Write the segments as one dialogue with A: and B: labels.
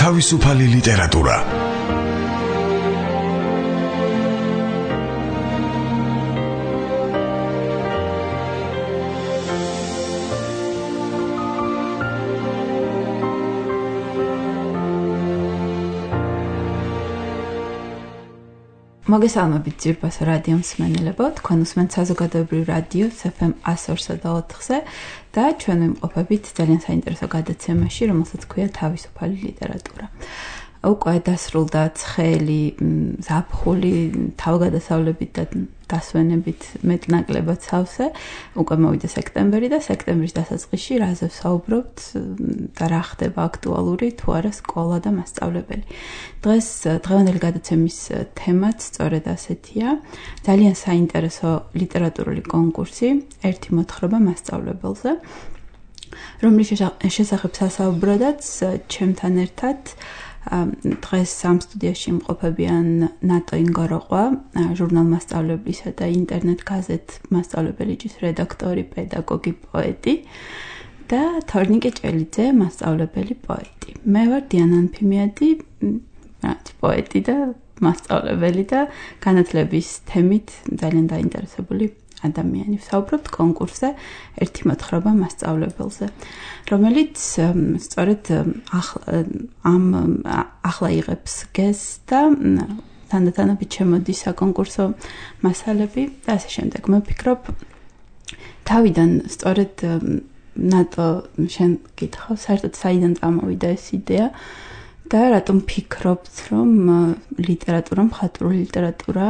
A: თავისუფალი ლიტერატურა.
B: მოგესალმებით ძირფას რადიო მსმენელებო, თქვენ უსმენთ საზოგადოებრივ რადიოს FM 102.4-ზე და ჩვენ ვიმყოფებით ძალიან საინტერესო გადაცემაში, რომელსაც ქვია თავისუფალი ლიტერატურა. უკვე დასრულდა ცხელი, ზაფხული, თავგადასავლებით და დასვენებით მეტნაკლებად სავსე, უკვე მოვიდა სექტემბერი და სექტემბრის დასაწყისში რაზე ვსაუბრობთ და რა ხდება აქტუალური თუ არა სკოლა და მასწავლებელი. დღეს დღევანდელი გადაცემის თემაც სწორედ ასეთია, ძალიან საინტერესო ლიტერატურული კონკურსი, ერთი მოთხრობა მასწავლებელზე, რომლის შესახებ სასაუბროდაც ჩემთან ერთად დღეს ამ სტუდიაში იმყოფებიან ნატო ინგოროყვა, ჟურნალ მასწავლებლისა და ინტერნეტ გაზეთ მასწავლებელი-ჯის რედაქტორი, პედაგოგი, პოეტი და თორნიკე ჭელიძე, მასწავლებელი, პოეტი. მე ვარ დიანა ანფიმიადი, პოეტი და მასწავლებელი და განათლების თემით ძალიან დაინტერესებული ადამიანი. ვსაუბრობთ კონკურსზე ერთი მოთხრობა მასწავლებელზე, რომელიც სწორედ ახლა იღებს გეზს და თანდათანობით შემოდის საკონკურსო მასალები და ასე შემდეგ. მე ვფიქრობ, თავიდან სწორედ ნატო შენ გითხავ, საერთოდ საიდან წამოვიდა ეს იდეა და რატომ ფიქრობთ, რომ ლიტერატურა, მხატვრული ლიტერატურა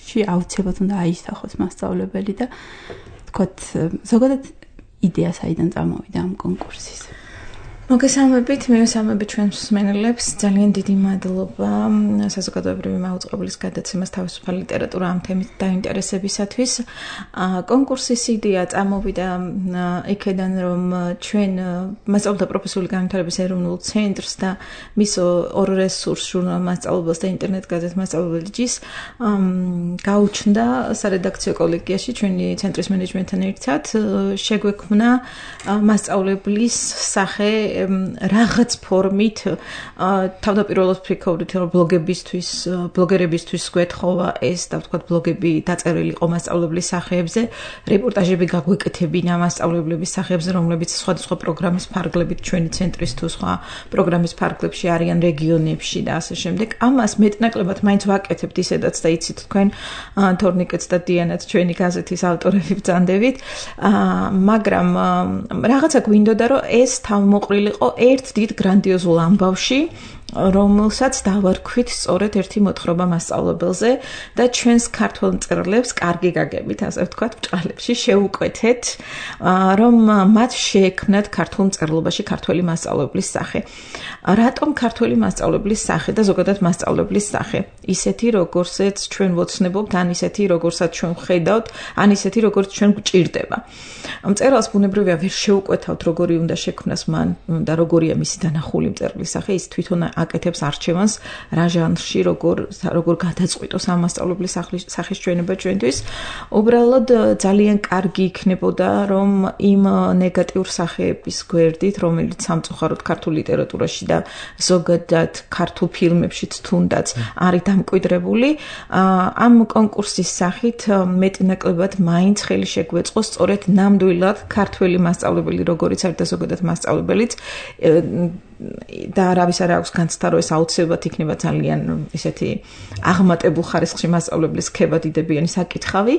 B: აუცილებლად უნდა აისახოს მასწავლებელი და თქვათ, ზოგადად იდეა საიდან წამოვიდა ამ კონკურსის?
C: მოგესალმებით, მივესალმებით ჩვენს მსმენელებს. ძალიან დიდი მადლობა საზოგადოებრივი მაუწყებლის გადაცემას თავისუფალი ლიტერატურა ამ თემით დაინტერესებისათვის. კონკურსის იდეა წამოვიდა იქედან, რომ ჩვენ მასწავლებელთა პროფესიული განვითარების ეროვნულ ცენტრს და მის ორ რესურსს, ჟურნალ მასწავლებელს და ინტერნეტ გაზეთ მასწავლებელი-ჯის გაუჩნდა სარედაქციო კოლეგიაში ჩვენი ცენტრის მენეჯმენტთან ერთად შეგვექმნა მასწავლებლის სახე რაღაც ფორმით თავდაპირველად ვფიქრობდით, რომ ბლოგერებისთვის გვეთხოვა ეს და ვთქვათ ბლოგები დაწერილი იყო მასწავლებლის სახეებზე, რეპორტაჟები გაგვეკეთებინა მასწავლებლების სახეებზე, რომლებიც სხვადასხვა პროგრამის ფარგლებით ჩვენი ცენტრის თუ სხვა პროგრამის ფარგლებში არიან რეგიონებში და ასე შემდეგ. ამას მეტნაკლებად მაინც ვაკეთებთ ისედაც და იცით თქვენ თორნიკეც და დიანაც ჩვენი გაზეთის ავტორები ბრძანდებით, მაგრამ რაღაცა გვინდოდა, რომ ეს თავმოყრილიყო ერთ დიდ გრანდიოზულ ამბავში, რომელსაც დავარქვით სწორედ ერთი მოთხრობა მასწავლებელზე და ჩვენს ქართველ მწერლებს კარგი გაგებით, ასე ვთქვათ, ბჭყალებში შევუკვეთეთ, რომ მათ შეექმნათ ქართულ მწერლობაში ქართველი მასწავლებლის სახე. რატომ ქართველი მასწავლებლის სახე და ზოგადად მასწავლებლის სახე? ისეთი, როგორცაც ჩვენ ვოცნებობთ, ან ისეთი, როგორცაც ჩვენ ვხედავთ, ან ისეთი, როგორც ჩვენ გვჭირდება. მწერალს ბუნებრივია ვერ შევუკვეთავთ, როგორი უნდა შექმნას მან და როგორია მისი დანახული მწერლის სახე, ის თვითონ აკეთებს არჩევანს რა ჟანრში, როგორ გადაწყვიტოს ამ მასწავლებლის სახის ჩვენება ჩვენთვის. უბრალოდ ძალიან კარგი იქნებოდა, რომ იმ ნეგატიურ სახეების გვერდით, რომელიც სამწუხაროდ ქართულ ლიტერატურაში და ზოგადად ქართულ ფილმებშიც თუნდაც არის დამკვიდრებული, ამ კონკურსის სახით მეტნაკლებად მაინც ხელი შეგვეწყოს სწორედ ნამდვილად ქართველი მასწავლებელი, როგორიც არის და ზოგადად მასწავლებელიც და არავის არ აქვს განცდა, რომ ეს აუცილებლად იქნება ძალიან ისეთი აღმატებულ ხარისხში მასწავლებლის ქება დიდებიანი საკითხავი.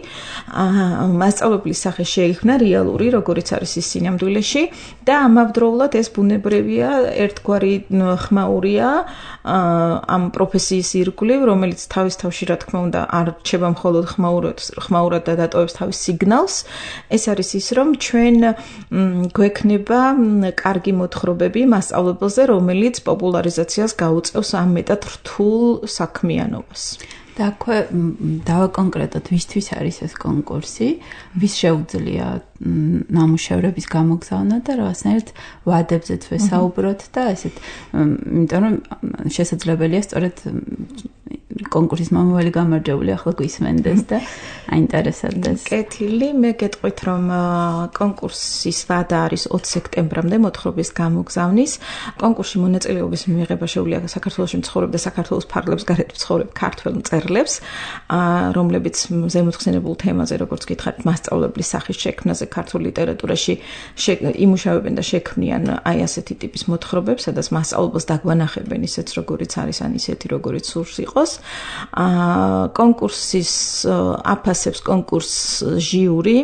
C: მასწავლებლის სახე შეიქმნა რეალური, როგორიც არის ის სინამდვილეში და ამავდროულად ეს ბუნებრივია, ერთგვარი ხმაურია ამ პროფესიის ირგვლივ, რომელიც თავის თავში, რა თქმა უნდა, არ რჩება მხოლოდ ხმაურად და დატოვებს თავის სიგნალს. ეს არის ის, რომ ჩვენ გვექნება კარგი მოთხრობები მასწავლებელს, რომელიც პოპულარიზაციას გაუწევს ამ მეტად რთულ საქმიანობას.
B: და აქვე დავაკონკრეტოთ, ვისთვის არის ეს კონკურსი, ვის შეუძლია ნამუშევრების გამოგზავნა და რაღაცნაირად ვადებზეც ვესაუბროთ და ესეთ, იმიტომ რომ შესაძლებელია სწორედ კონკურსის მომავალი გამარჯვებული ახლა გვისმენდეს და აინტერესებდეს.
C: კეთილი, მე გეტყვით რომ კონკურსის ვადა არის 20 სექტემბრამდე მოთხრობის გამოგზავნის. კონკურსში მონაწილეობის მიღება შეუძლია საქართველოში მცხოვრებ და საქართველოს ფარგლებს გარეთ მცხოვრებ ქართველ მწერლებს, რომლებიც ზემოთხსენებულ თემაზე, როგორც გითხარით, მასწავლებლის სახის შექმნაზე ქართულ ლიტერატურაში იმუშავებენ და შექმნიან აი ასეთი ტიპის მოთხრობებს, სადაც მასწავლებელს დაგვანახებენ ისეც როგორიც არის, ან ისეთი როგორიც სურს იყოს. კონკურსის აფასებს კონკურს ჟიური,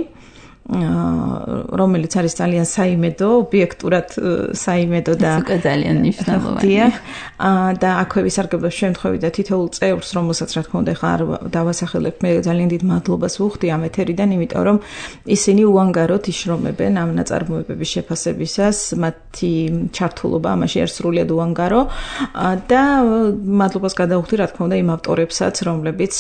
C: რომელიც არის ძალიან საიმედო, ობიექტურად საიმედო და
B: ძალიან მნიშვნელოვანია.
C: და აქვე ვისარგებლებ შემთხვევით და თითოეულ წევრს, რომელსაც რა თქმა უნდა ხარ დავასახელებ, მე ძალიან დიდ მადლობას ვუხდი ამ ეთერიდან, იმიტომ რომ ისინი უანგაროდ იშრომებენ ამ ნაწარმოებების შეფასებისას, მათი ჩართულობა ამაში არის სრულიად უანგარო და მადლობას გადავუხდი რა თქმა უნდა იმ ავტორებსაც, რომლებიც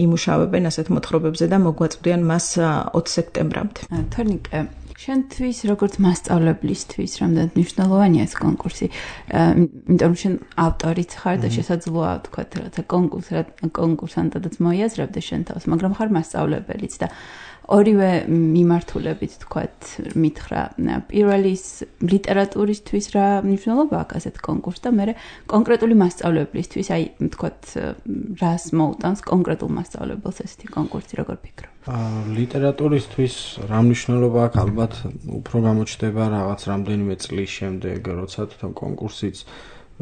C: იმუშავებენ ასეთ მოთხრობებზე და მოგვაწვდიან მას 20 სექტემბრამდე.
B: თორნიკე, შენთვის როგორც მასწავლებლისთვის რამდენად მნიშვნელოვანია ეს კონკურსი? იმიტომ რომ შენ ავტორიც ხარ და შესაძლოა თქვა რაღაცა კონკურსანტადაც მოიაზრებდე შენ თავს, მაგრამ ხარ მასწავლებელიც და ორივე მიმართულებით თქვათ მითხრა. პირველი ლიტერატურისთვის რა მნიშვნელობა აქვს ასეთ კონკურსს და მე კონკრეტული მასწავლებლისთვის, აი თქვათ რას მოუტანს კონკრეტულ მასწავლებელს ესეთი კონკურსი, როგორ ფიქრობ?
A: ლიტერატურისთვის რა მნიშვნელობა აქვს? ალბათ უფრო გამოჩნდება რაღაც რამდენიმე წლის შემდეგ, როცა თვითონ კონკურსიც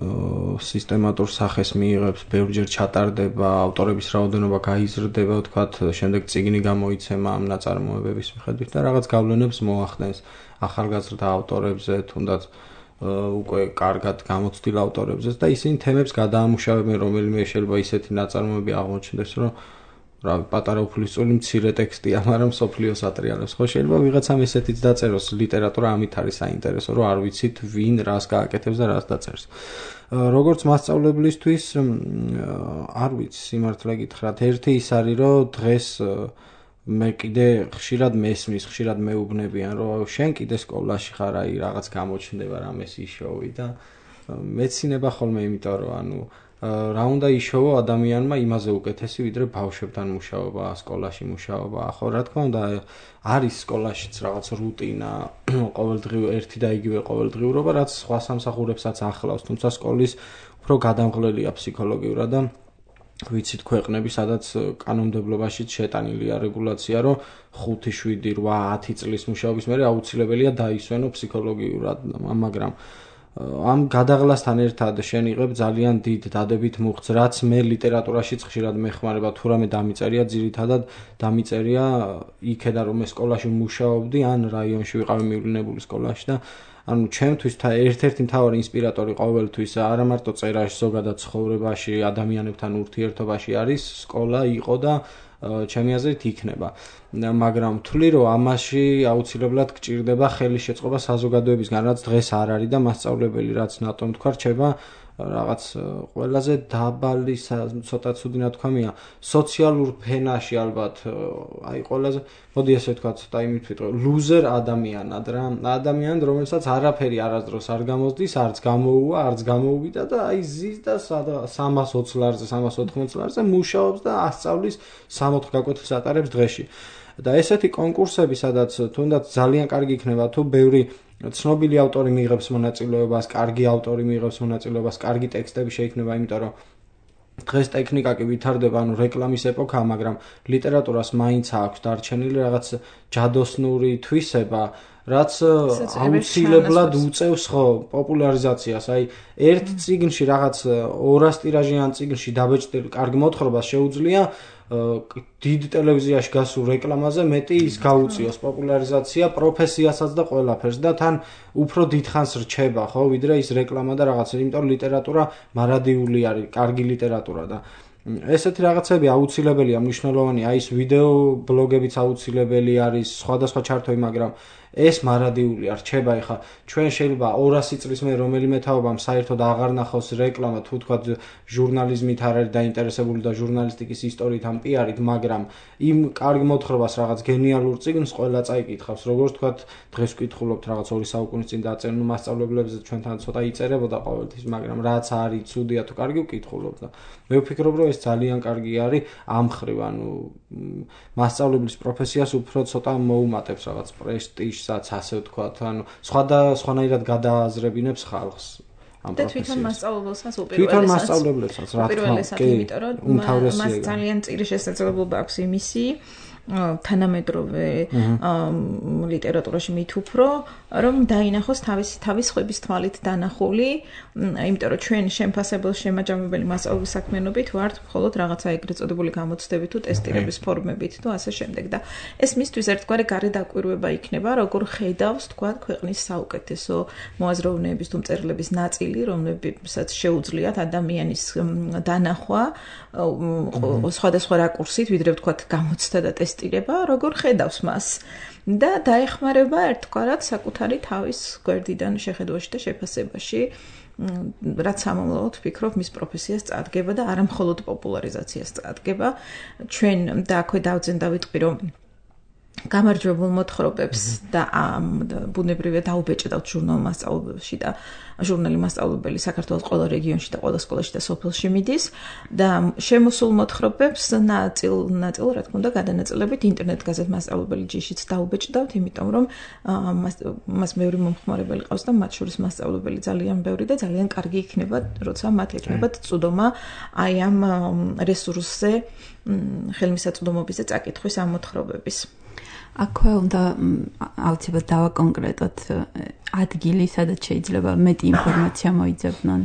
A: სისტემატურ სახეს მიიღებს, ბევრჯერ ჩატარდება, ავტორების რაოდენობა გაიზრდება, ვთქვათ, შემდეგ წიგნი გამოიცემა ამ ნაწარმოებების მიხედვით და რაღაც გავლენებს მოახდენს ახალგაზრდა ავტორებზე, თუნდაც უკვე კარგად გამოცდილ ავტორებზეც და ისინი თემებს გადაამუშავებენ, რომელიმე შეიძლება ისეთი ნაწარმოები აღმოჩნდეს, რომ პატარა უფლისწული მცირე ტექსტია, მაგრამ სოფლიოს ატრიალებს. ხო შეიძლება ვიღაცამ ესეთიც დაწეროს, ლიტერატურა ამით არის საინტერესო, რომ არ ვიცით ვინ რას გააკეთებს და რას დაწერს. როგორც მასწავლებლისთვის არ ვიცი, სიმართლე გითხრათ, ერთი ის არის, რომ დღეს მე კიდე ხშირად მესმის, ხშირად მეუბნებიან, რომ შენ კიდე სკოლაში ხარ, აი რაღაც გამოჩნდება რამეს იშოვი და მეცინება ხოლმე, იმიტომ რომ ანუ რა უნდა იშოვო ადამიანმა იმაზე უკეთესი, ვიდრე ბავშვებთან მუშაობა, სკოლაში მუშაობა. ხო, რა თქმა უნდა, არის სკოლაშიც რაღაც რუტინა, ყოველდღიურ ერთი და იგივე ყოველდღიურობა, რაც სხვა სამსახურებსაც ახლავს, თუმცა სკოლის უფრო გადამღლელია ფსიქოლოგიურად და ვიცით ქვეყნები, სადაც კანონმდებლობაშიც შეტანილია რეგულაცია, რომ 5, 7, 8, 10 წლის მუშაობის მერე აუცილებელია დაისვენო ფსიქოლოგიურად, მაგრამ ამ გადაღლასთან ერთად შენ იღებ ძალიან დიდ დადებით მუხტს, რაც მე ლიტერატურაშიც ხშირად მეხმარება, თუ რამე დამიწერია, ძირითადად დამიწერია იქედან რომ მე სკოლაში მუშაობდი, ან რაიონში ვიყავი მივლინებული სკოლაში და ანუ ჩემთვის ერთ-ერთი მთავარი ინსპირატორი ყოველთვის არა მარტო წერაში, ზოგადად ცხოვრებაში, ადამიანებთან ურთიერთობაში არის სკოლა, იყო და ჩემი აზრით იქნება. მაგრამ ვთვლი, რომ ამაში აუცილებლად გჭირდება ხელის შეწყობა საზოგადოებისგან, რაც დღეს არ არის და მასწავლებელი რაც ნატომ თქვა, რჩება რაღაც ყველაზე დაბალი, ცოტა ცუდი ნათქვამია, სოციალურ ფენაში ალბათ, აი ყველაზე, მოდი ესე ვთქვა, ცოტა იმით ვიტყვი, ლუზერ ადამიანად რა, ადამიანად, რომელსაც არაფერი არასდროს არ გამოსდის, არც გამოუვა, არც გამოუვიდა და აი ზის და 320 ლარზე, 380 ლარზე მუშაობს და ასწავლის 60 გაკვეთილს ატარებს დღეში. და ესეთი კონკურსები, სადაც თუნდაც ძალიან კარგი იქნება, თუ ბევრი ცნობილი ავტორი მიიღებს მონაწილეობას, კარგი ავტორი მიიღებს მონაწილეობას, კარგი ტექსტები შეიქმნება, იმიტომ რომ დღეს ტექნიკა კი ვითარდება, ანუ რეკლამის ეპოქაა, მაგრამ ლიტერატურას მაინც აქვს დარჩენილი რაღაც ჯადოსნური თვისება, რაც აუცილებლად უწევს პოპულარიზაციას. აი, ერთ წიგნში რაღაც 200 ტირაჟიან წიგნში დაბეჭდილი კარგი მოთხრობა შეუძლია დიდ ტელევიზიაში გასულ რეკლამაზე მეტი ის გაუწიოს პოპულარიზაცია პროფესიასაც და ყველაფერს და თან უფრო დიდხანს რჩება, ხო, ვიდრე ის რეკლამა და რაღაცა, იმიტომ რომ ლიტერატურა მარადიული არის, კარგი ლიტერატურა და ესეთი რაღაცები აუცილებელია, მნიშვნელოვანია, აი ეს ვიდეო ბლოგებიც აუცილებელი არის, სხვადასხვა ჩართვები, მაგრამ ეს მარადიული არ რჩება. ეხლა ჩვენ შეიძლება 200 წლის მე რომელიმე თაობამ საერთოდ აღარ ნახოს რეკლამა, თუ თქვა ჟურნალიზმით არ არის დაინტერესებული და ჟურნალისტიკის ისტორიით ან პიარით, მაგრამ იმ კარგ მოთხრობას რაღაც გენიალურ წიგნს ყველა წაიკითხავს. როგორც თქვა დღეს ვკითხულობთ რაღაც 2 საუკუნის წინ დაწერილ მასწავლებლებზე ჩვენთან ცოტა იწერებოდა ყოველთვის, მაგრამ რაც არის ცუდია თუ კარგი ვკითხულობ და მე ვფიქრობ რომ ეს ძალიან კარგი არის ამ ხრივ, ანუ მასწავლებლის პროფესიას უფრო ცოტა მოუმატებს რაღაც პრესტიჟსაც, ასე ვთქვათ, ანუ სხვანაირად გადააზრებინებს ხალხს.
C: და თვითონ მასწავლებელსაც
A: თვითონ მასწავლებლებსაც რა თქმა უნდა,
C: იმიტომ რომ მას ძალიან წირი შესაძლებლობა აქვს იმისი თანამედროვე ლიტერატურაში მით უფრო რომ დაინახოს თავის ხვების თვალით დანახული, იმიტომ რომ ჩვენ შემფასებელ შემაჯამებელი მასწავლებლის საქმიანობით ვართ მხოლოდ რაღაცა ეგრეთ წოდებული გამოცდებით თუ ტესტირების ფორმებით თუ ასე შემდეგ და ეს მისთვის ერთგვარი გარედაკვირვება იქნება, როგორ ხედავს თქვა ქვეყნის საუკეთესო მოაზროვნეების თუ მწერლების ნაწილი, რომლებსაც შეუძლიათ ადამიანის დანახვა სხვადასხვა რაკურსით, ვიდრე ვთქვათ გამოცდა და ტესტირება, როგორ ხედავს მას და დაეხმარება ერთგვარად საკუთარი თავის გვერდიდან შეხედვაში და შეფასებაში, რაც სამომავლოდ ვფიქრობ მის პროფესიას წარდგება და არა მხოლოდ პოპულარიზაციას წარდგება. ჩვენ და აქვე დავძენ დავიტყვი რომ გამარჯვებულ მოთხრობებს და ბუნებრივია დაუბეჭდავთ ჟურნალ მასწავლებელში და ჟურნალი მასწავლებელი საქართველოს ყველა რეგიონში და ყველა სკოლაში და სოფელში მიდის და შემოსულ მოთხრობებს ნაწილ რა თქმა უნდა გადანაწილებით ინტერნეტ გაზეთ მასწავლებელი ჯიშიც დაუბეჭდავთ, იმიტომ რომ მას ბევრი მომხმარებელი ყავს და მათ შორის მასწავლებელი ძალიან ბევრი და ძალიან კარგი იქნება, როცა მათ ექნებათ წვდომა აი ამ რესურსზე ხელმისაწვდომობის და წაკითხვის ამ მოთხრობების.
B: აქვე უნდა აუცილებლად დავაკონკრეტოთ ადგილი, სადაც შეიძლება მეტი ინფორმაცია მოიძებნონ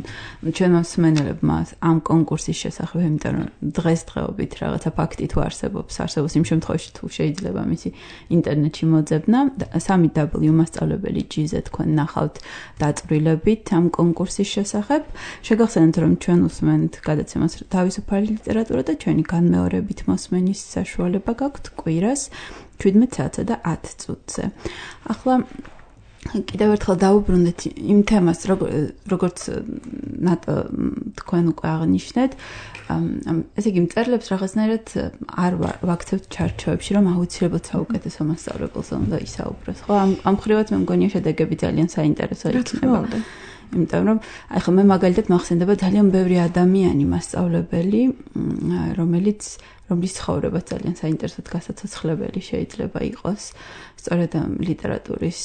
B: ჩვენმა მსმენელებმა ამ კონკურსის შესახებ, იმიტომ რომ დღესდღეობით რაღაცა ფაქტი თუ არსებობს იმ შემთხვევაში თუ შეიძლება მისი ინტერნეტში მოძებნა. 3w მასწავლებელი.gz თქვენ ნახავთ დაწვრილებით ამ კონკურსის შესახებ. შეგახსენებთ, რომ ჩვენ უსმენთ გადაცემას თავისუფალი ლიტერატურა და ჩვენი განმეორებით მოსმენის საშუალება გაქვთ კვირას 17 საათსა და 10 წუთზე. ახლა კიდევ ერთხელ დავუბრუნდეთ იმ თემას, როგორც თქვენ უკვე აღნიშნეთ, ესე იგი მწერლებს რაღაცნაირად არ ვაქცევთ ჩარჩოებში, რომ აუცილებლად საუკეთესო მასწავლებელს უნდა ისაუბროს. ხო, ამ ხრივაც მე მგონია შედეგები ძალიან საინტერესო იქნება. იმიტომ რომ აი ხო მე მაგალითად მახსენდება ძალიან ბევრი ადამიანი მასწავლებელი, რომლის ცხოვრება ძალიან საინტერესოდ გასაცოცხლებელი შეიძლება იყოს სწორედ ლიტერატურის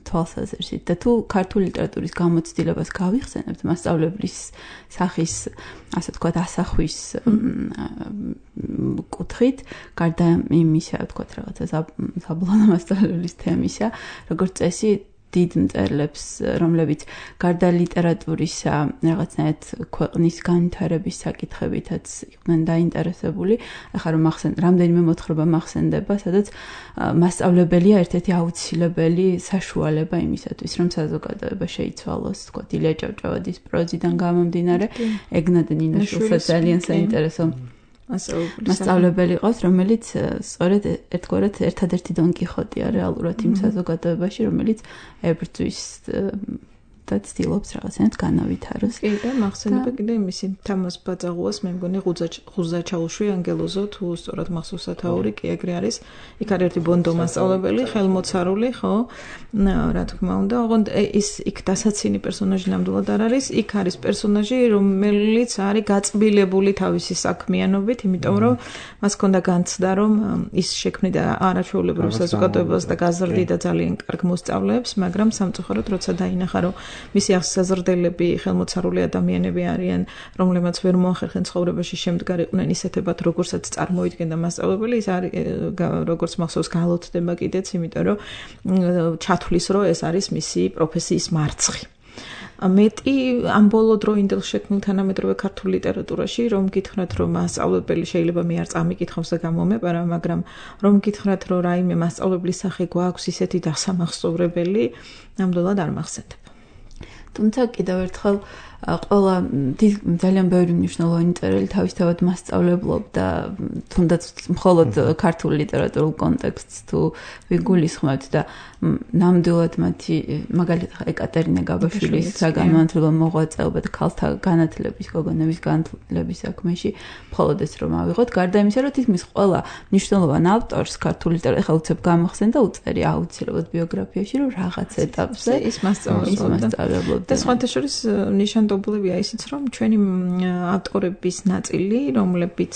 B: თვალსაზრისით და თუ ქართული ლიტერატურის გამოცდილებას გავიხსენებთ მასწავლებლის სახის ასე ვთქვათ ასახვის კუთხით, გარდა იმისა ვთქვათ რაღაცა საბლონა მასწავლებლის თემისა, როგორც წესი დიდ მწერლებს, რომლებიც გარდა ლიტერატურისა რაღაცნაირად ქვეყნის განვითარების საკითხებითაც იყვნენ დაინტერესებული. ახლა რომ რამდენიმე მოთხრობა მახსენდება, სადაც მასწავლებელია ერთ-ერთი აუცილებელი საშუალება იმისათვის, რომ საზოგადოება შეიცვალოს, თქვათ ილია ჭავჭავაძის პროზიდან გამომდინარე, ეგნატ ნინოშვილსაც ძალიან საინტერესო მასწავლებელი ყავს, რომელიც სწორედ ერთგვარად ერთადერთი დონ კიხოტია რეალურად იმ საზოგადოებაში, რომელიც ებრძვის და ცდილობს რაღაცნაირად განავითაროს.
C: კი და მახსენდება კიდე იმისი თამას ბაძაღუას, მე მგონი ღუზა ჩაუშვი ანგელოზო თუ სწორად მახსოვს სათაური კი ეგრე არის. იქ არის ერთი ბონდო მასწავლებელი, ხელმოცარული, ხო? რა თქმა უნდა, ოღონდ ის იქ დასაცინი პერსონაჟი ნამდვილად არ არის. იქ არის პერსონაჟი, რომელიც არის გაწბილებული თავისი საქმიანობით, იმიტომ რომ მას ჰქონდა განცდა, რომ ის შექმნიდა არაჩვეულებრივ საზოგადოებას და გაზრდიდა ძალიან კარგ მოსწავლეებს, მაგრამ სამწუხაროდ როცა დაინახა, რომ მისი აღსაზრდელები ხელმოცარული ადამიანები არიან, რომლებმაც ვერ მოახერხნენ ცხოვრებაში შემდგარიყვნენ ისეთებად, როგორცაც წარმოიდგენდა მასწავლებელი, ის არის როგორც მახსოვს გალოცდება კიდეც, იმიტომ რომ ჩათვლის, რომ ეს არის მისი პროფესიის მარცხი. მეტი ამ ბოლო დროინდელ შექმნილ თანამედროვე ქართულ ლიტერატურაში, რომ გითხრათ, რომ მასწავლებელი შეიძლება მე არ წამიკითხავს და გამომეპარა, მაგრამ რომ გითხრათ, რომ რაიმე მასწავლებლის სახე გვაქვს ისეთი დასამახსოვრებელი, ნამდვილად არ მახსენდება.
B: თუმცა კიდევ ერთხელ ყველა ძალიან ბევრი მნიშვნელოვანი წერილი თავისთავად მასწავლებლობდა თუნდაც მხოლოდ ქართულ ლიტერატურულ კონტექსტს თუ ვიგულისხმებთ და ნამდვილად მათი მაგალითად ეკატერინა გაბაშვილის საგანმანათლებლო მოღვაწეობა და ქალთა განათლების გოგონების განათლების საქმეში მხოლოდ ეს რომ ავიღოთ გარდა იმისა რომ თითქმის ყველა მნიშვნელოვან ავტორს ქართულ ლიტერატურაში ხა უცებ გამახსენ და უწერი აუცილებლად ბიოგრაფიაში რომ რაღაც ეტაპზე
C: ის მასწავლებლობდა და სხვათა შორის ნიშანდობლებია ისიც რომ ჩვენი ავტორების ნაწილი რომლებიც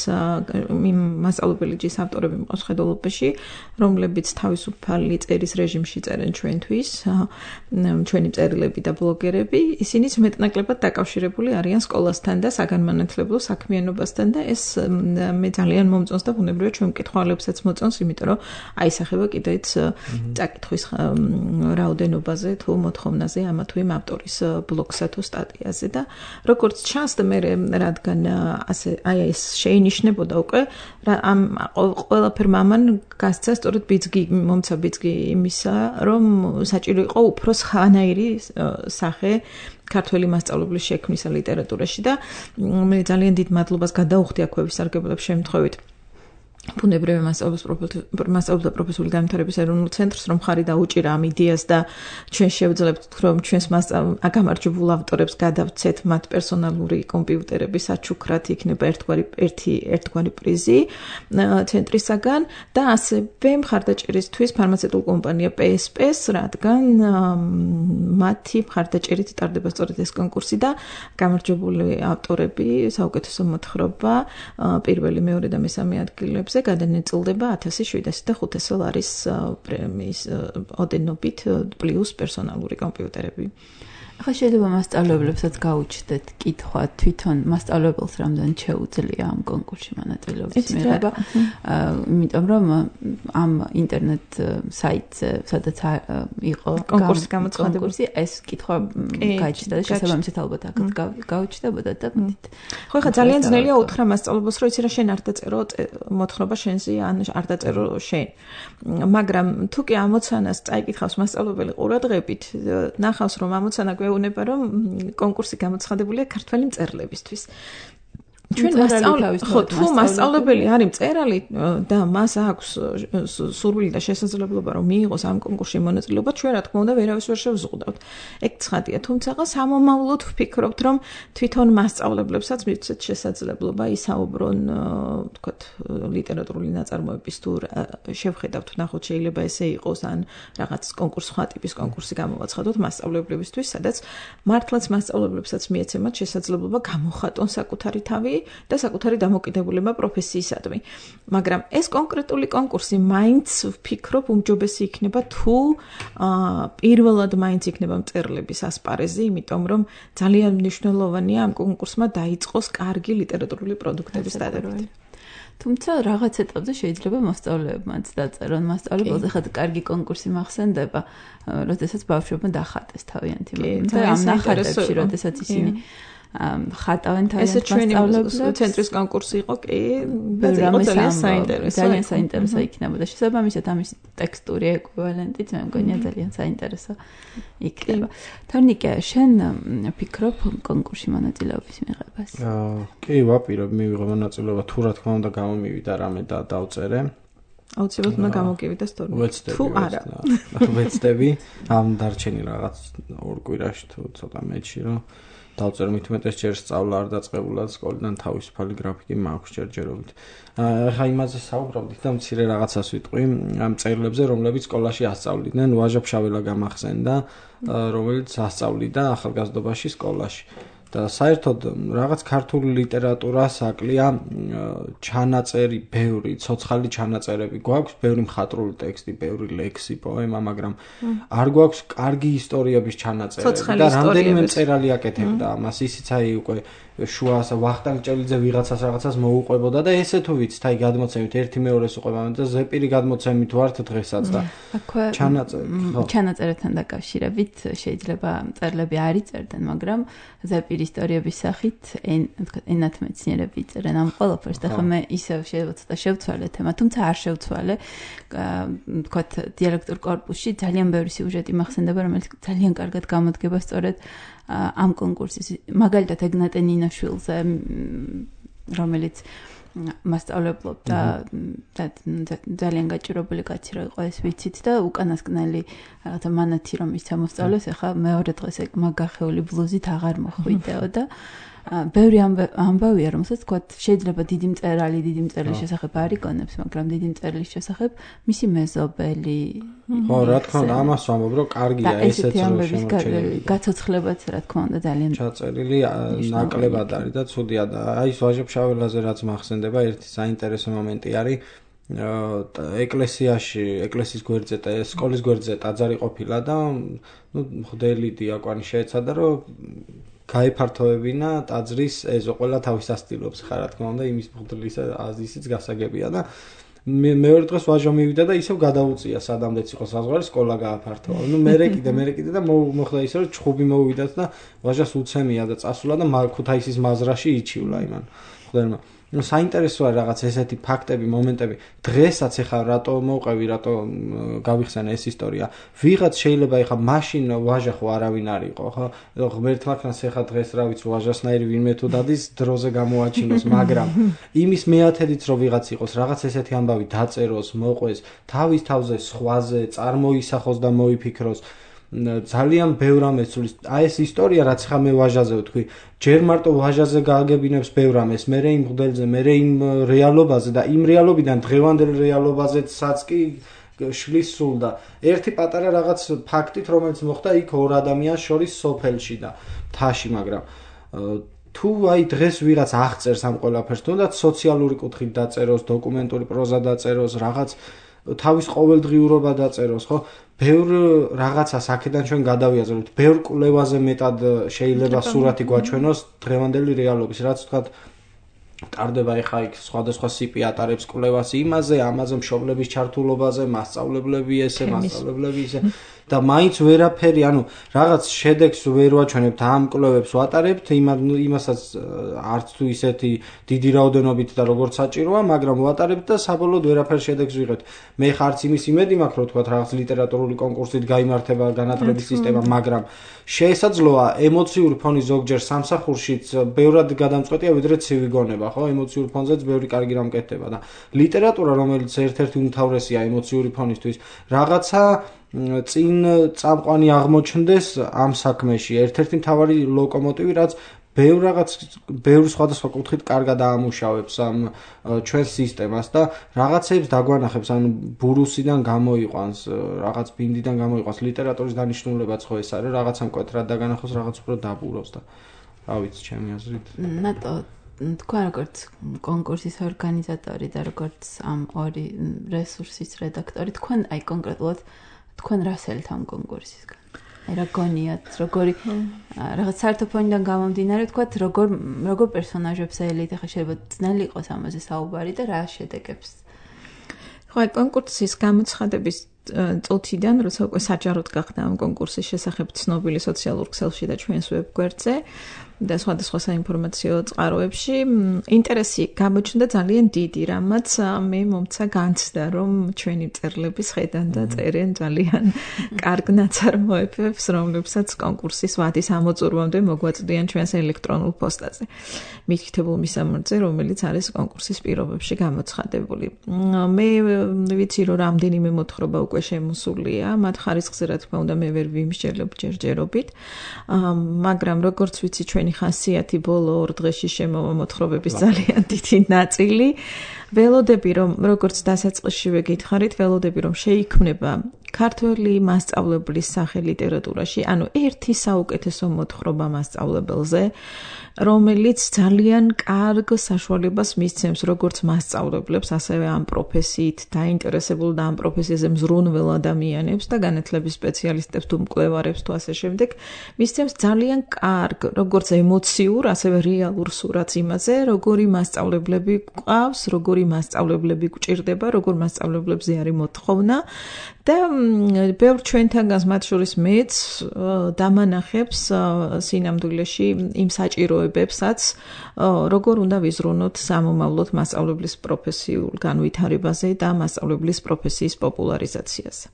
C: მასწავლებელიც ავტორები მყავს ხედულობაში რომლებიც თავისუფალი წერის რეჟიმში წერენ ჩვენთვის ჩვენი წერილები და ბლოგერები ისინიც მეტნაკლებად დაკავშირებული არიან სკოლასთან და საგანმანათლებლო საქმიანობასთან და ეს მე ძალიან მომწონს და ბუნებრივია ჩვენ მკითხველებსაც მოწონს იმიტომ რომ აისახება კიდეც წაკითხვის რაოდენობაზე თუ მოთხოვნაზე ამა თუ იმ ავტორის ბლოგსა თუ სტატიაზე და როგორც ჩანს და მე რადგან ასე აი ეს შეინიშნებოდა უკვე ამ ყველაფერმა ამან გასცა სწორედ მომცა ბიძგი იმისა რომ საჭირო იყო უფრო სხვანაირი სახე ქართველი მასწავლებლის შექმნისა ლიტერატურაში და მე ძალიან დიდ მადლობას გადაუხდი აქვეების სარგებლობის შემთხვევით ბუნებრივი მასწავლებლთა პროფესიული განვითარების ეროვნულ ცენტრს რომ ხარი დაუჭირა ამ იდეას და ჩვენ შევძლებთ რომ ჩვენს გამარჯვებულ ავტორებს გადავცეთ მათ პერსონალური კომპიუტერების საჩუქრად იქნება ერთგვარი პრიზი ცენტრისაგან და ასევე მხარდაჭერისთვის ფარმაცევტულ კომპანია PSP-ს რადგან მათი მხარდაჭერით ტარდება სწორედ ეს კონკურსი და გამარჯვებული ავტორები საუკეთესო მოთხრობა პირველი მეორე და მესამე ადგილებს გადანაწილდება 1705 ლარის პრემიის ოდენობით პლუს პერსონალური კომპიუტერები.
B: ახლა შეიძლება მასწავლებლებსაც გაუჩნდეთ კითხვა თვითონ მასწავლებელს რამდენი შეუძლია ამ კონკურსში მონაწილეობის მიღება. იმიტომ რომ ამ ინტერნეტ საიტზე სადაც იყო კონკურსი ეს კითხვა გაიჩნდა და შესაბამისად ალბათ აქ გაუჩნდებოდა და მოდით.
C: ხო ხა ძალიან ძნელია უთხრა მასწავლებელს რომ იცი რა შენ არ დაწერო მოთხრობა შენზე ან არ დაწერო შენ. მაგრამ თუ კი ამოცანას წაიკითხავს მასწავლებელი ყურადღებით ნახავს რომ ამოცანა გვეუბნება რომ კონკურსი გამოცხადებულია ქართველი მწერლებისთვის. ჩვენ თუ მასწავლებელი არის მწერალი და მას აქვს სურვილი და შესაძლებლობა რომ მიიღოს ამ კონკურსში მონაწილეობა, ჩვენ რა თქმა უნდა ვერავის ვერ შევზღუდავთ. ეგ ცხადია, თუმცა სამომავლოდ ვფიქრობთ რომ თვითონ მასწავლებლებსაც მიცეთ შესაძლებლობა ისაუბრონ, თქვათ, ლიტერატურული ნაწარმოების თუ შევხედავთ, ნახოთ შეიძლება ესე იყოს ან რაღაც კონკურს სხვა ტიპის კონკურსი გამოვაცხადოთ მასწავლებლებისთვის, სადაც მართლაც მასწავლებლებსაც მიეცემათ შესაძლებლობა გამოხატონ საკუთარი თავი და საკუთარი დამოკიდებულება პროფესიისადმი. მაგრამ ეს კონკრეტული კონკურსი მაინც ვფიქრობ უმჯობესი იქნება თუ პირველად მაინც იქნება მწერლების ასპარეზი, იმიტომ რომ ძალიან მნიშვნელოვანია ამ კონკურსმა დაიწყოს კარგი ლიტერატურული პროდუქტების დადებით.
B: თუმცა რაღაც ეტაპზე შეიძლება მოსწავლეებმაც დაწერონ მასწავლებელს ახლა კარგი კონკურსი მახსენდება, როდესაც ბავშვებმა დახატეს თავიანთი და ამ ნახატებში როდესაც ისინი ხატავენ თავიანთ მასწავლებლებს.
C: ეს ცენტრის კონკურსი იყო კი, ძალიან საინტერესო.
B: ძალიან საინტერესო იქნებოდა. შესაბამისად ამის ტექსტური ეკვივალენტიც მე მგონია ძალიან საინტერესო იქნება. თორნიკე, შენ ფიქრობ კონკურსში მონაწილეობის მიღებას?
A: კი, ვაპირებ მივიღო მონაწილეობა, თუ რა თქმა უნდა გამომივიდა რამე და დავწერე.
C: აუცილებლად უნდა გამოგივიდეს თორნიკე. თუ არა.
A: ვეცდები ამ დარჩენილ რაღაც ორ კვირაში თუ ცოტა მეჩი რომ დავწერო მით უმეტეს ჯერ სწავლა არ დაწყებულა სკოლიდან თავისუფალი გრაფიკი მაქვს ჯერჯერობით. ახლა იმაზე საუბრობდით და მცირე რაღაცას ვიტყვი ამ წერილებზე, რომლებიც სკოლაში ასწავლიდნენ. ვაჟა ფშაველა გამახსენდა, რომელიც ასწავლიდა ახალგაზრდობაში სკოლაში. და საერთოდ რაღაც ქართული ლიტერატურა საკლია ჩანაწერი, ბევრი ცოცხალი ჩანაწერები გვაქვს, ბევრი მხატვრული ტექსტი, ბევრი ლექსი, პოემა, მაგრამ არ გვაქვს კარგი ისტორიების ჩანაწერები და რამდენიმე მწერალი აკეთებდა ამას, ისიც აი უკვე შუას ვახტანგ ჭელიძე ვიღაცას რაღაცას მოუყვებოდა და ესე თუ ვიცით, აი გადმოცემით ერთი მეორეს უყვება და ზეპირი გადმოცემით ვართ დღესაც და
B: ჩანაწერებთან დაკავშირებით შეიძლება მწერლები არ იწერდნენ, მაგრამ ზეპირი ისტორიების სახით ენათმეცნიერები იწერენ ამ ყველაფერს და ხომ მე ისევ შეიძლება შევცვალე თემა, თუმცა არ შევცვალე, თქვათ დიალექტურ კორპუსში ძალიან ბევრი სიუჟეტი მახსენდება, რომელიც ძალიან კარგად გამოდგება სწორედ ამ კონკურსის მაგალითად ეგნატე ნინაშვილზე რომელიც მასწავლებლობდა და ძალიან გაჭირვებული კაცი რო იყო ეს ვიცით და უკანასკნელი რაღაცა მანათი რომ ისცა მოსწავლეს ახლა მეორე დღეს ეგ მაგახეული ბლუზით აღარ მოხვიდეო და ბევრი ამბავია რომელსაც თქვა შეიძლება დიდი მწერლის შესახებ არ იგონებს მაგრამ დიდი მწერლის შესახებ მისი მეზობელი
A: ხო რა თქმა უნდა ამას ვამბობ რომ კარგია ესეც რომ
B: შემოჩენილი გაცოცხლებაც რა თქმა უნდა ძალიან
A: ჩაწერილი ნაკლებად არის და ცუდია და აი ეს ვაჟა-ფშაველაზე რაც მახსენდება ერთი საინტერესო მომენტი არის ეკლესიის გვერდზე და სკოლის გვერდზე ტაძარი ყოფილა და ნუ მღვდელი დიაკვანი შეეცადა რომ გაიფართოვებინა ტაძრის ეზო ყველა თავის ასტილობს ხარ რა თქმა უნდა იმის მღვდლის აზისიც გასაგებია და მეორე დღეს ვაჟა მივიდა და ისევ გადაუწია სადამდეც იყო საზღვარი სკოლა გააფართოვა ნუ მერე კიდე და მოხდა ისე რომ ჩხუბი მოვიდათ და ვაჟას უცემია და წასულა და ქუთაისის მაზრაში იჩივლა იმან მღვდელმა ну საინტერესოა რაღაც ესეთი ფაქტები, მომენტები. დღესაც ეხა რატო მოვყევი, რატო გავიხსენე ეს ისტორია. ვიღაც შეიძლება ეხა მაშინ ვაჟა ხო არავინ არ იყო, ხო? ღმერთმა ქნას ეხა დღეს რა ვიცი ვაჟასნაირი ვინმე თუ დადის დროზე გამოაჩინოს, მაგრამ იმის მეათედიც რომ ვიღაც იყოს, რაღაც ესეთი ამბავი დაწეროს, მოყვეს, თავის თავზე სხვაზე წარმოისახოს და მოიფიქროს. ძალიან ბევრ ამას სულის აი ეს ისტორია რაც ხა მე ვაჟაზე ვთქვი ჯერ მარტო ვაჟაზე გააგებინებს ბევრ ამას მე იმ მღვდელზე მე იმ რეალობაზე და იმ რეალობიდან დღევანდელ რეალობაზეცაც კი შლის სულ და ერთი პატარა რაღაც ფაქტით რომელიც მოხდა იქ ორ ადამიანს შორის სოფელში და მთაში მაგრამ თუ აი დღეს ვიღაც აღწერს ამ ყველაფერს თუნდაც სოციალური კუთხით დაწეროს დოკუმენტური პროზა დაწეროს რაღაც თავის ყოველდღიურობა დაწეროს ხო ბევრ რაღაცას აქედან ჩვენ გადავიაზრებთ ბევრ კვლევაზე მეტად შეიძლება სურათი გვაჩვენოს დღევანდელი რეალობის რაც თქვათ ტარდება ეხა იქ სხვადასხვა სიპი ატარებს კვლევას იმაზე ამაზე მშობლების ჩართულობაზე მასწავლებლები ესე მასწავლებლები ისე და მაინც ვერაფერი ანუ რაღაც შედეგს ვერ ვაჩვენებთ ამ კვლევებს ვატარებთ იმასაც არც თუ ისეთი დიდი რაოდენობით და როგორც საჭიროა მაგრამ ვატარებთ და საბოლოოდ ვერაფერ შედეგს ვიღებთ მე ხარც იმის იმედი მაქვს რომ თქვა რაღაც ლიტერატურული კონკურსით გაიმართება განათლების სისტემა მაგრამ შესაძლოა ემოციური ფონი ზოგჯერ სამსახურშიც ბევრად გადამწყვეტია ვიდრე ცივი გონება ხო ემოციურ ფონზეც ბევრი კარგი რამ კეთდება და ლიტერატურა რომელიც ერთ-ერთი უმთავრესია ემოციური ფონისთვის რაღაცა წინ წამყვანი აღმოჩნდეს ამ საქმეში ერთ-ერთი მთავარი ლოკომოტივი რაც ბევრ სხვადასხვა კუთხით კარგად აამუშავებს ამ ჩვენ სისტემას და რაღაცებს დაგვანახებს ანუ ბურუსიდან გამოიყვანს რაღაც ბინდიდან გამოიყვანს ლიტერატურის დანიშნულებაც ხო ეს არის რაღაცა მკვეთრად დაგანახოს რაღაც უფრო დაბუროს და რა ვიცი ჩემი აზრით
B: ნატო თქვენ როგორც კონკურსის ორგანიზატორი და როგორც ამ ორი რესურსის რედაქტორი თქვენ აი კონკრეტულად თქვენ რასელთ ამ კონკურსისგან აი რა გონიათ როგორი რაღაც საერთო ფონიდან გამომდინარე თქვათ როგორ პერსონაჟებს ელით ახლა შეიძლება ძნელი იყოს ამაზე საუბარი და რა შედეგებს
C: ხო აი კონკურსის გამოცხადების წუთიდან როცა უკვე საჯაროდ გახდა ამ კონკურსის შესახებ ცნობილი სოციალურ ქსელში და ჩვენს ვებგვერდზე და სხვადასხვა საინფორმაციო წყაროებში ინტერესი გამოჩნდა ძალიან დიდი, რამაც მე მომცა განცდა, რომ ჩვენი მწერლები ხედან და წერენ ძალიან კარგ ნაწარმოებებს, რომლებსაც კონკურსის ვადის ამოწურვამდე მოგვაწვდიან ჩვენს ელექტრონულ პოსტაზე. მითითებულ მისამართზე, რომელიც არის კონკურსის პირობებში გამოცხადებული. მე ვიცი, რომ რამდენიმე მოთხრობა უკვე შემოსულია, მათ ხარისხზე რა თქმა უნდა მე ვერ ვიმსჯელებ ჯერჯერობით, მაგრამ როგორც ვიცი ჩვენი ხასიათი ბოლო ორ დღეში შემოვა მოთხრობების ძალიან დიდი ნაწილი. ველოდები რომ როგორც დასაწყისშივე გითხარით, ველოდები რომ შეიქმნება ქართველი მასწავლებლის სახე ლიტერატურაში, ანუ ერთი საუკეთესო მოთხრობა მასწავლებელზე, რომელიც ძალიან კარგ საშუალებას მისცემს როგორც მასწავლებლებს, ასევე ამ პროფესიით დაინტერესებულ და ამ პროფესიაზე მზრუნველ ადამიანებს და განათლების სპეციალისტებს თუ მკვლევარებს თუ ასე შემდეგ, მისცემს ძალიან კარგ, როგორც ემოციურ, ასევე რეალურ სურათს იმაზე, როგორი მასწავლებლები გვყავს, როგორი მასწავლებლები გვჭირდება, როგორ მასწავლებლებზე არის მოთხოვნა და ბევრ ჩვენთანგანს მათ შორის მეც დამანახებს სინამდვილეში იმ საჭიროებებსაც, როგორ უნდა ვიზრუნოთ სამომავლოდ მასწავლებლის პროფესიულ განვითარებაზე და მასწავლებლის პროფესიის პოპულარიზაციაზე.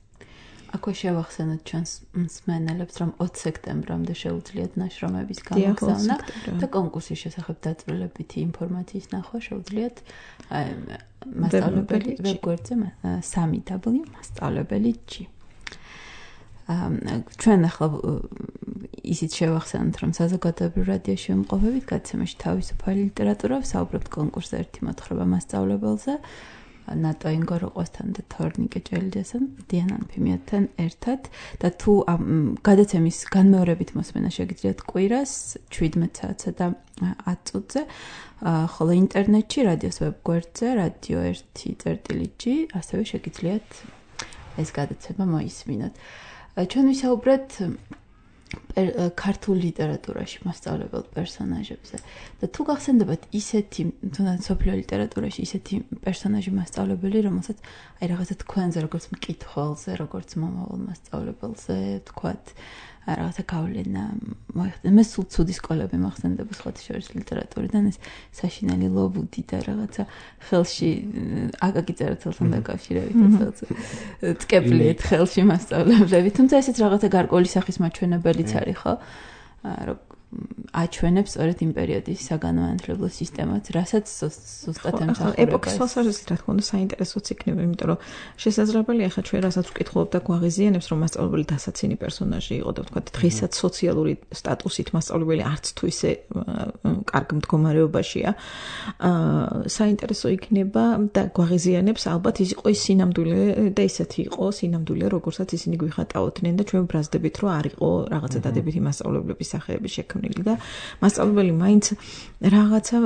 B: აქვე შევახსენოთ ჩვენს მსმენელებს, რომ 20 სექტემბრამდე შეუძლიათ ნაშრომების გამოგზავნა და კონკურსის შესახებ დაწვრილებითი ინფორმაციის ნახვა შეუძლიათ მასწავლებელი ვებგვერდზე 3w.მასწავლებელი.g. ჩვენ ახლა ისიც შევახსენოთ, რომ საზოგადოებრივ რადიოში ვიმყოფებით გადაცემაში თავისუფალი ლიტერატურა, ვსაუბრობთ კონკურსზე ერთი მოთხრობა მასწავლებელზე. ნატო ინგოროყვასთან და თორნიკე ჭელიძესთან, დიანან ფიმიათთან ერთად და თუ გადაცემის განმეორებით მოსმენა შეგიძლიათ კვირას 17 საათსა და 10 წუთზე, ხოლო ინტერნეტში რადიოს ვებგვერდზე radio1.g ასევე შეგიძლიათ ეს გადაცემა მოისმინოთ. ჩვენ ვისაუბრეთ ქართულ ლიტერატურაში მასწავლებელ პერსონაჟებზე და თუ გახსენდებათ ისეთი თუნდაც სოფლიო ლიტერატურაში ისეთი პერსონაჟი მასწავლებელი, რომელსაც აი რაღაცა თქვენზე, როგორც მკითხველზე, როგორც მომავალ მასწავლებელზე, თქვათ რაღაცა გავლენა მოიხდენ. მე სულ ცუდი სკოლები მახსენდება სხვათა შორის ლიტერატურიდან, ეს საშინელი ლობუდი და რაღაცა ხელში აკაკი წერეთელთან დაკავშირებით ეს ტკეპლიეთ ხელში მასწავლებლები. თუმცა ესეც რაღაცა გარკვეული სახის მაჩვენებელიც არის, ხო? აჩვენებს სწორედ იმ პერიოდის საგანმანათლებლო სისტემას, რასაც ზუსტად ემსახურება.
C: ეპოქის თვალსაზრისით რა თქმა უნდა საინტერესოც იქნება, იმიტომ რომ შესაძლებელია ახლა ჩვენ რასაც ვკითხულობ და გვაღიზიანებს, რომ მასწავლებელი დასაცინი პერსონაჟი იყო და ვთქვათ, დღესაც სოციალური სტატუსით მასწავლებელი არც თუ ისე კარგ მდგომარეობაშია. საინტერესო იქნება და გვაღიზიანებს ალბათ ის იყო ის სინამდვილე და ისეთი იყო სინამდვილე, როგორცაც ისინი გვიხატავდნენ და ჩვენ ბრაზდებით, რომ არ იყო რაღაცა დადებითი მასწავლებლების სახეები შექმნილი. და მასწავლებელი მაინც რაღაცა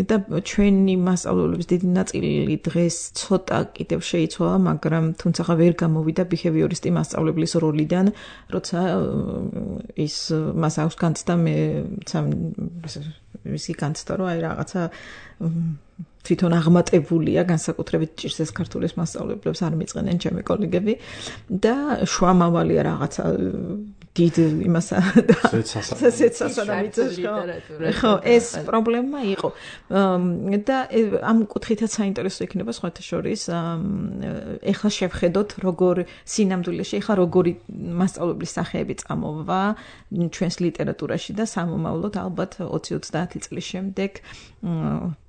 C: და ჩვენი მასწავლებლების დიდი ნაწილი დღეს ცოტა კიდევ შეიცვალა, მაგრამ თუმცა ვერ გამოვიდა ბიჰევიორისტი მასწავლებლის როლიდან, როცა ის მას აქვს განცდა მისი განცდა, რომ აი რაღაცა თვითონ აღმატებულია, განსაკუთრებით ჭირს ქართულის მასწავლებლებს არ მიწყენენ ჩემი კოლეგები და შუამავალია რაღაცა დიდ იმასა ხო ეს პრობლემა იყო და ამ კუთხითაც საინტერესო იქნება სხვათა შორის ეხლა შევხედოთ როგორ სინამდვილეში ეხლა როგორი მასწავლებლის სახეები წამოვა ჩვენს ლიტერატურაში და სამომავლოდ ალბათ 20-30 წლის შემდეგ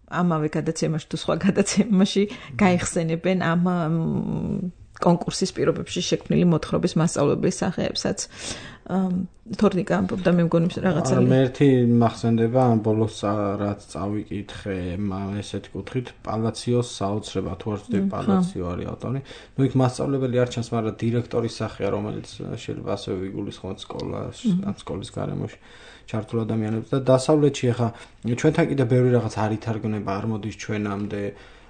C: ამავე გადაცემაში თუ სხვა გადაცემაში გაიხსენებენ ამ კონკურსის პირობებში შექმნილი მოთხრობის მასწავლებლის სახეებსაც. თორნიკა ამბობდა მე მგონი რაღაცა
A: მე ერთი მახსენდება ამ ბოლოს რაც წავიკითხე ესეთი კუთხით პალაციოს საოცრება თუ არ ვცდები პალაციო არის ავტორი. ნუ იქ მასწავლებელი არ ჩანს, მაგრამ დირექტორის სახეა, რომელიც შეიძლება ასევე ვიგულისხმოთ სკოლის გარემოში ჩართულ ადამიანებს და დასავლეთში ახლა ჩვენთან კიდე ბევრი რაღაც არ ითარგმნება, არ მოდის ჩვენამდე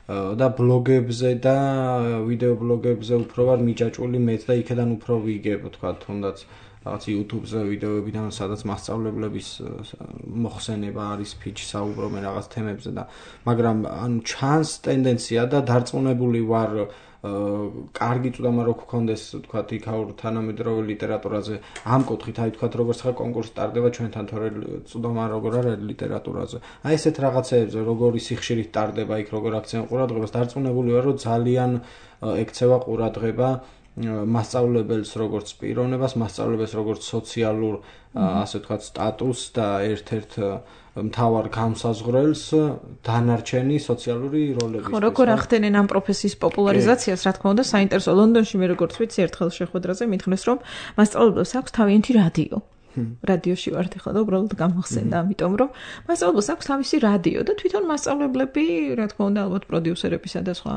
A: და ბლოგებზე და ვიდეო ბლოგებზე უფრო ვარ მიჯაჭვული მეც და იქედან უფრო ვიგებ, თქვა თუნდაც რაღაც YouTube-ზე ვიდეოებიდან, სადაც მასწავლებლების მოხსენება არის, ფიჩი საუბრობენ რაღაც თემებზე და მაგრამ ანუ ჩანს ტენდენცია და დარწმუნებული ვარ კარგი წვდომა რო გქონდეს, თქვა იქაურ თანამედროვე ლიტერატურაზე ამ კუთხით, აი თქვა როგორც ხა კონკურსი ტარდება ჩვენთან თორე წვდომა როგორ არის ლიტერატურაზე. აი ესეთ რაღაცეებზე როგორი სიხშირით ტარდება იქ როგორ აქცენ ყურადღებას, დარწმუნებული ვარ რომ ძალიან ექცევა ყურადღება მასწავლებელს როგორც პიროვნებას, მასწავლებელს როგორც სოციალურ ასე ვთქვათ სტატუსს და ერთ-ერთ მთავარ გამსაზღვრელს დანარჩენი სოციალური როლების.
C: ხო, როგორ ახდენენ ამ პროფესიის პოპულარიზაციას, რა თქმა უნდა, საინტერესო. ლონდონში მე როგორც ვიცი, ერთხელ შეხვედრაზე მითხრეს, რომ მასწავლებლებს აქვს თავიანთი რადიო. რადიოში ვართ ახლა და უბრალოდ გამახსენდა, ამიტომ რომ მასწავლებლებს აქვს თავისი რადიო და თვითონ მასწავლებლები, რა თქმა უნდა, ალბათ პროდიუსერებისა და სხვა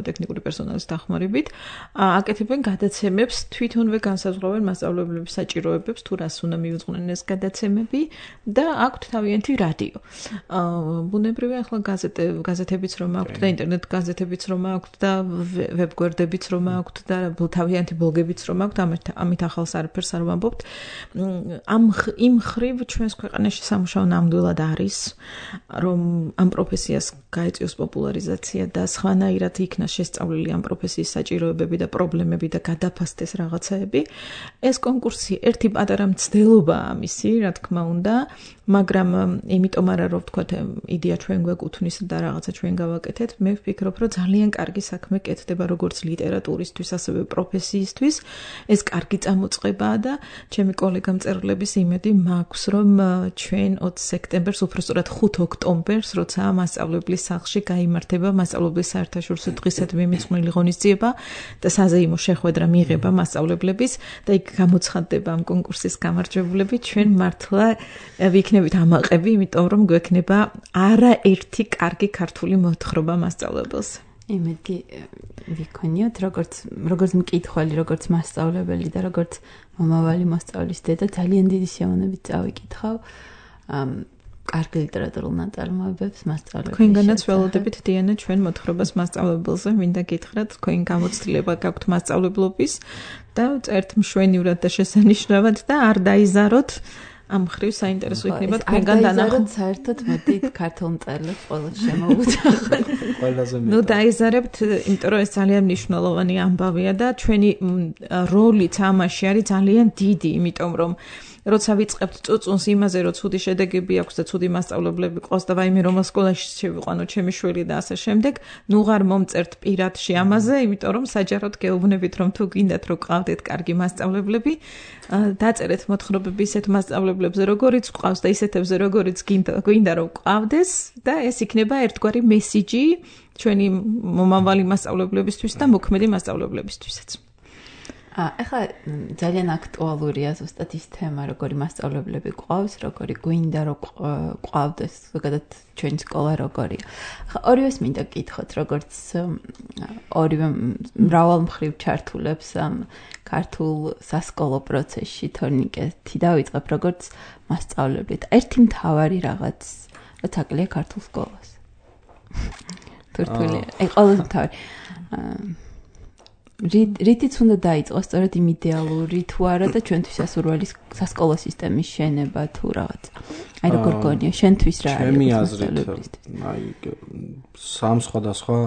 C: ტექნიკური პერსონალის დახმარებით, აკეთებენ გადაცემებს, თვითონვე განსაზღვრავენ მასწავლებლების საჭიროებებს, თუ რას უნდა მიუძღვნեն ეს გადაცემები და აქვთ თავიანთი რადიო. ბუნებრივია ახლა გაზეთებიც რომ აქვთ და ინტერნეტ გაზეთებიც რომ აქვთ და ვებგვერდებიც რომ აქვთ და თავიანთი ბლოგებიც რომ აქვთ, ამით ახალს არაფერს არ ვამბობთ. იმ ხრივ ჩვენს ქვეყანაში სამუშაო ნამდვილად არის, რომ ამ პროფესიას გაეწიოს პოპულარიზაცია და სხვანაირად იქნა შესწავლილი ამ პროფესიის საჭიროებები და პრობლემები და გადაფასდეს რაღაცაები. ეს კონკურსი ერთი პატარა მცდელობაა ამისი, რა თქმა უნდა, მაგრამ იმიტომ არა რომ ვთქვათ იდეა ჩვენ გვეკუთვნის და რაღაცა ჩვენ გავაკეთეთ, მე ვფიქრობ რომ ძალიან კარგი საქმე კეთდება როგორც ლიტერატურისთვის, ასევე პროფესიისთვის. ეს კარგი წამოწყებაა და ჩემი კოლეგა მწერლების იმედი მაქვს, რომ ჩვენ 20 სექტემბერს, უბრალოდ 5 ოქტომბერს, როცა მასწავლებლის სახლში გაიმართება მასწავლებლის საერთაშორისო დღისადმი მიძღვნილი ღონისძიება და საზეიმო შეხვედრა მიიღება მასწავლებლების და იქ გამოცხადდება ამ კონკურსის გამარჯვებულები, ჩვენ მართლა ვიქნებით ამაყები, იმიტომ რომ გვექნება არაერთი კარგი ქართული მოთხრობა მასწავლებელს.
B: იმედი ვიქონიოთ, როგორც მკითხველი, როგორც მასწავლებელი და როგორც მომავალი მოსწავლის დედა, ძალიან დიდი სიამოვნებით წავიკითხავ კარგი ლიტერატურულ ნაწარმოებებს მასწავლებელს.
C: თქვენგანაც ველოდებით დიანა ჩვენ მოთხრობას მასწავლებელზე, მინდა გითხრათ, თქვენ გამოცდილება გაქვთ მასწავლებლობის და წერთ მშვენივრად და შესანიშნავად და არ დაიზაროთ ამ ხრივ საინტერესო იქნება თქვენგან დანახოთ.
B: საერთოდ მოდით ქართულ მწერლებს ყოველთვის შემოვუძახოთ.
A: ყველაზე მეტად.
C: ნუ დაიზარებთ, იმიტომ რომ ეს ძალიან მნიშვნელოვანი ამბავია და ჩვენი როლიც ამაში არის ძალიან დიდი, იმიტომ რომ როცა ვიწყებთ წუწუნს იმაზე, რომ ცუდი შედეგები აქვს და ცუდი მასწავლებლები ყავს და ვაიმე რომელ სკოლაში შევიყვანო ჩემი შვილი და ასე შემდეგ, ნუ ღარ მომწერთ პირადში ამაზე, იმიტომ რომ საჯაროდ გეუბნებით, რომ თუ გინდათ რომ ყავდეთ კარგი მასწავლებლები, დაწერეთ მოთხრობები ისეთ მასწავლებლებზე, როგორიც ყავს და ისეთებზე, როგორიც გინდა რომ ყავდეს და ეს იქნება ერთგვარი მესიჯი ჩვენი მომავალი მასწავლებლებისთვის და მოქმედი მასწავლებლებისთვისაც.
B: ახლა ძალიან აქტუალურია ზუსტად ის თემა, როგორი მასწავლებლები ყავს, როგორი გვინდა რომ ყავდეს, ზოგადად ჩვენი სკოლა როგორია. ახლა ორივეს მინდა გკითხოთ, როგორც ორივე მრავალ მხრივ ჩართულებს ამ ქართულ სასკოლო პროცესში თორნიკეთი დავიწყებ, როგორც მასწავლებლით. ერთი მთავარი რაღაც, რაც აკლია ქართულ სკოლას. თურთული, ყველაზე მთავარი. რითიც უნდა დაიწყოს სწორედ იმ იდეალური თუ არა და ჩვენთვის სასურველი სასკოლო სისტემის შენება თუ რაღაც. აი როგორ გონია შენთვის რა არის?
A: ჩემი აზრით, აი სამ სხვადასხვა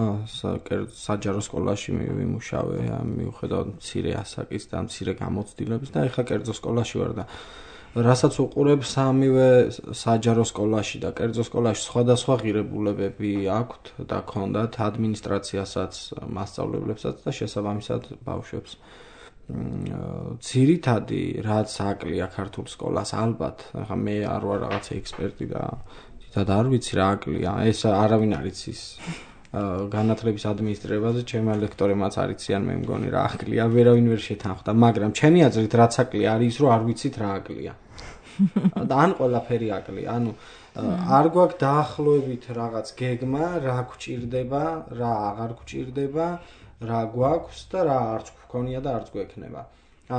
A: საჯარო სკოლაში ვიმუშავე, მიუხედავად მცირე ასაკის და მცირე გამოცდილების და ეხლა კერძო სკოლაში ვარ და რასაც უყურებ სამივე საჯარო სკოლაში და კერძო სკოლაში სხვადასხვა ღირებულებები აქვთ და ქონდათ ადმინისტრაციასაც, მასწავლებლებსაც და შესაბამისად ბავშვებს. ძირითადი რაც აკლია ქართულ სკოლას ალბათ, ახლა მე არ ვარ რაღაცა ექსპერტი და თითქოს არ ვიცი რა აკლია, ეს არავინ არ იცის. განათლების ადმინისტრირებაზე ჩემი ლექტორებმაც არ იციან, მე მგონი რა აკლია, ვერავინ ვერ შეთანხმდა, მაგრამ ჩემი აზრით რაც აკლია არის ის, რომ არ ვიცით რა აკლია. და ან ყველაფერი აკლია, ანუ არ გვაქვს დაახლოებით რაღაც გეგმა, რა გვჭირდება, რა აღარ გვჭირდება, რა გვაქვს და რა არც გვქონია და არც გვექნება.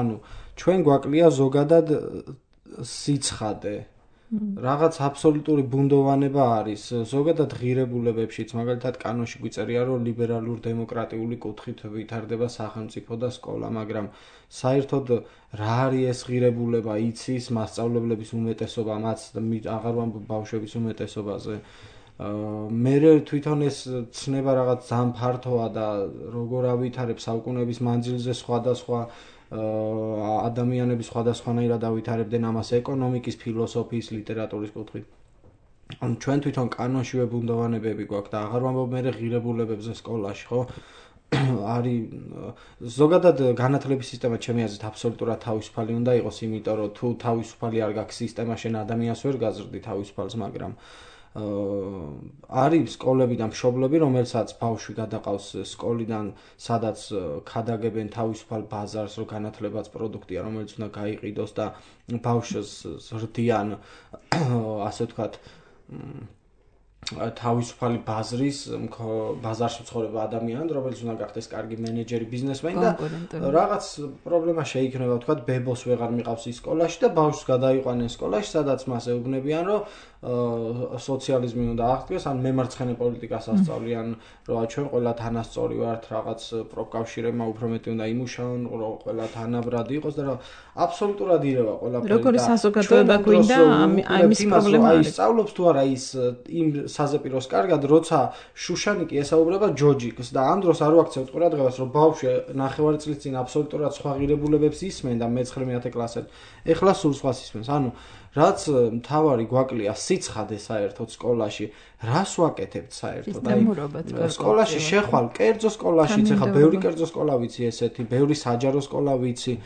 A: ანუ ჩვენ გვაკლია ზოგადად სიცხადე. რაღაც აბსოლუტური ბუნდოვანება არის ზოგადად ღირებულებებშიც, მაგალითად კანონში გვიწერია, რომ ლიბერალურ დემოკრატიული კუთხით ვითარდება სახელმწიფო და სკოლა, მაგრამ საერთოდ რა არის ეს ღირებულება იცის მასწავლებლების უმეტესობა, მათ აღარ ვამბობ ბავშვების უმეტესობაზე. მე თვითონ ეს ცნება რაღაც ძალიან ფართოა და როგორ ავითარებ საუკუნეების მანძილზე სხვადასხვა ადამიანები სხვადასხვანაირად ავითარებდნენ ამას ეკონომიკის, ფილოსოფიის, ლიტერატურის კუთხით. ანუ ჩვენ თვითონ კანონში ვებუნდოვანებები გვაქვს და აღარ ვამბობ მე ღირებულებებზე სკოლაში, ხო? არის ზოგადად განათლების სისტემა ჩემი აზრით აბსოლუტურად თავისუფალი უნდა იყოს, იმიტომ რომ თუ თავისუფალი არ გაქვს სისტემა, შენ ადამიანს ვერ გაზრდი თავისუფალს, მაგრამ არის სკოლები და მშობლები, რომელსაც ბავშვი გადაყავს სკოლიდან, სადაც ქადაგებენ თავისუფალ ბაზარს, რომ განათლებაც პროდუქტია, რომელიც უნდა გაიყიდოს და ბავშვს ზრდიან, ასე ვთქვათ, თავისუფალი ბაზარში მცხოვრება ადამიანი, რომელიც უნდა გახდეს კარგი მენეჯერი, ბიზნესმენი და რაღაც პრობლემა შეიქმნება, ვთქვათ, ბებოს ვეღარ მიყავს ის სკოლაში და ბავშვს გადაიყვანენ სკოლაში, სადაც მას ეუბნებიან, რომ სოციალიზმი უნდა აღდგეს, ან მემარცხენე პოლიტიკას ასწავლიან, რომ ჩვენ ყველა თანასწორი ვართ, რაღაც პროფკავშირებმა უფრო მეტი უნდა იმუშაონ, რომ ყველა თანაბრად იყოს და რა აბსოლუტურად ირევა ყველაფერი.
C: როგორი საზოგადოება გვინდა ამის პრობლემა არის.
A: სწავლობს თუ არა ის იმ საზეპიროს კარგად, როცა შუშანიკი ესაუბრება ჯოჯიკს და ამ დროს არ ვაქცევთ ყურადღებას, რომ ბავშვი ნახევარი წლის წინ აბსოლუტურად სხვა ღირებულებებს ისმენდა მე-9 კლასად. ეხლა სულ სხვას ისმენს. ანუ რაც მთავარი გვაკლია სიცხადე საერთოდ სკოლაში, რას ვაკეთებთ საერთოდ? სკოლაში შეხვალ, კერძო სკოლაშიც, ეხლა ბევრი კერძო სკოლა ვიცი ესეთი, ბევრი საჯარო სკოლა ვიცი.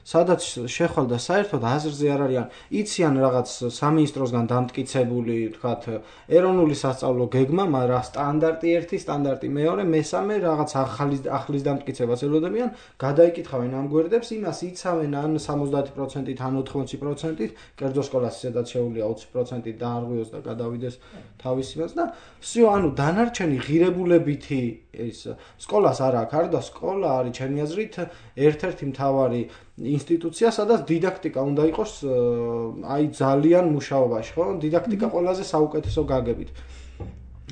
A: სადაც შეხვალ და საერთოდ აზრზე არ არიან, იციან რაღაც სამინისტროსგან დამტკიცებული, თქვათ, ეროვნული სასწავლო გეგმა, მაგრამ სტანდარტი 1, სტანდარტი 2, მესამე რაღაც ახლის დამტკიცებას ელოდებიან, გადაიკითხავენ ამ გვერდებს, იმას იცავენ ან 70%-ით, ან 80%-ით, კერძო სკოლას სადაც შეუძლია 20%-ით დაარღვიოს და გადავიდეს თავის იმას და всё, ანუ დანარჩენი ღირებულებითი ის სკოლას არ აქვს, არ და სკოლა არის ჩემი აზრით ერთ-ერთი მთავარი ინსტიტუცია, სადაც დიდაქტიკა უნდა იყოს აი ძალიან მუშაობაში, ხო? დიდაქტიკა ყველაზე საუკეთესო გაგებით.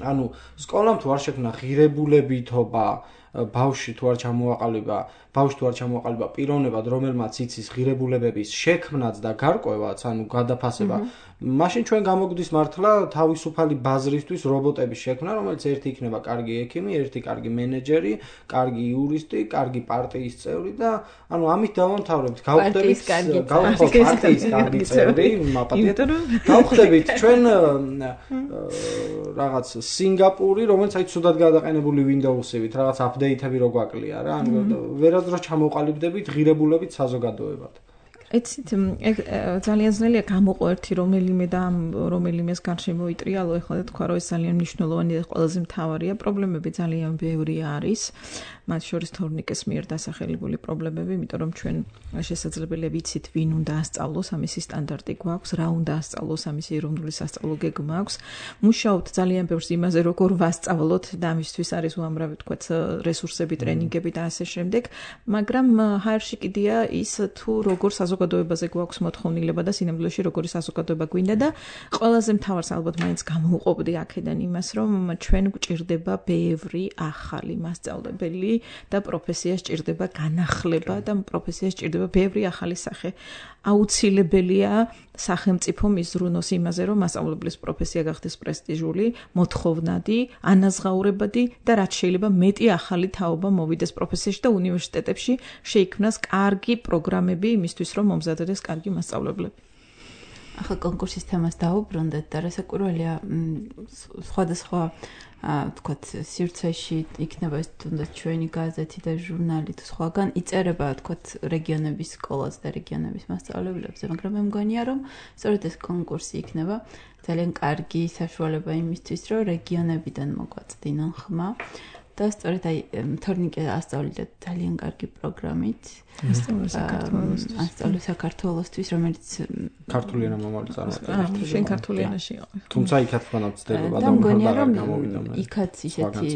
A: ანუ სკოლამ თუ არ შექმნა ღირებულებითობა, ბავშვი თუ არ ჩამოაყალიბა პიროვნებად, რომელმაც იცის ღირებულებების შექმნაც და გარკვევაც, ანუ გადაფასება, მაშინ ჩვენ გამოგვდის მართლა თავისუფალი ბაზრისთვის რობოტების შექმნა, რომელიც ერთი იქნება კარგი ექიმი, ერთი კარგი მენეჯერი, კარგი იურისტი, კარგი პარტიის წევრი და ანუ ამით დავამთავრებთ. გავხდებით პარტიის კარგი წევრი, გავხდებით ჩვენ რაღაც სინგაპური, რომელიც აი ცუდად გადაყენებული Windows-ივით, რაღაც აპდეიტები რო გვაკლია რა, ანუ ვერასდროს ჩამოყალიბდებით ღირებულებით საზოგადოებად.
C: იცით, ძალიან ძნელია გამოყო ერთი რომელიმე და რომელიმეს გარშემო იტრიალო, ეხლა და თქვა, რომ ეს ძალიან მნიშვნელოვანი და ყველაზე მთავარია. პრობლემები ძალიან ბევრი არის. მათ შორის თორნიკეს მიერ დასახელებული პრობლემები, იმიტომ რომ ჩვენ შესაძლებელია ვიცით, ვინ უნდა ასწავლოს, ამისი სტანდარტი გვაქვს, რა უნდა ასწავლოს, ამისი ეროვნული სასწავლო გეგმა აქვს. მუშაობთ ძალიან ბევრს იმაზე, როგორ ვასწავლოთ და ამისთვის არის უამრავი თქვათ რესურსები, ტრენინგები და ასე შემდეგ, მაგრამ ჰაერში კიდია ის თუ როგორ საზოგადოებაზე გვაქვს მოთხოვნილება და სინამდვილეში როგორი საზოგადოება გვინდა და ყველაზე მთავარს ალბათ მაინც გამოვუყოფდი აქედან იმას, რომ ჩვენ გვჭირდება ბევრი ახალი მასწავლებელი და პროფესიას ჭირდება განახლება და პროფესიას ჭირდება ბევრი ახალი სახე. აუცილებელია სახელმწიფო მიზრუნოს იმაზე, რომ მასწავლებლის პროფესია გახდეს პრესტიჟული, მოთხოვნადი, ანაზღაურებადი და რაც შეიძლება მეტი ახალი თაობა მოვიდეს პროფესიაში და უნივერსიტეტებში შეიქმნას კარგი პროგრამები იმისთვის, რომ მომზადდეს კარგი მასწავლებლები.
B: ახლა კონკურსის თემას დაუბრუნდეთ და რასაკვირველია სხვადასხვა თქვათ სივრცეში იქნება ეს თუნდაც ჩვენი გაზეთი და ჟურნალი თუ სხვაგან იწერება თქვათ რეგიონების სკოლას და რეგიონების მასწავლებლებზე, მაგრამ მე მგონია რომ სწორედ ეს კონკურსი იქნება ძალიან კარგი საშუალება იმისთვის, რომ რეგიონებიდან მოგვაწდინონ ხმა. და სწორედ აი თორნიკე ასწავლეთ ძალიან კარგი პროგრამით. ასწავლე საქართველოსთვის, რომელიც
A: ქართული ენა მომავალი წარმოადგენს.
C: შენ ქართული ენაში იყო.
A: თუმცა იქაც ფანავწდება
B: და მგონია რომ იქაც ისეთი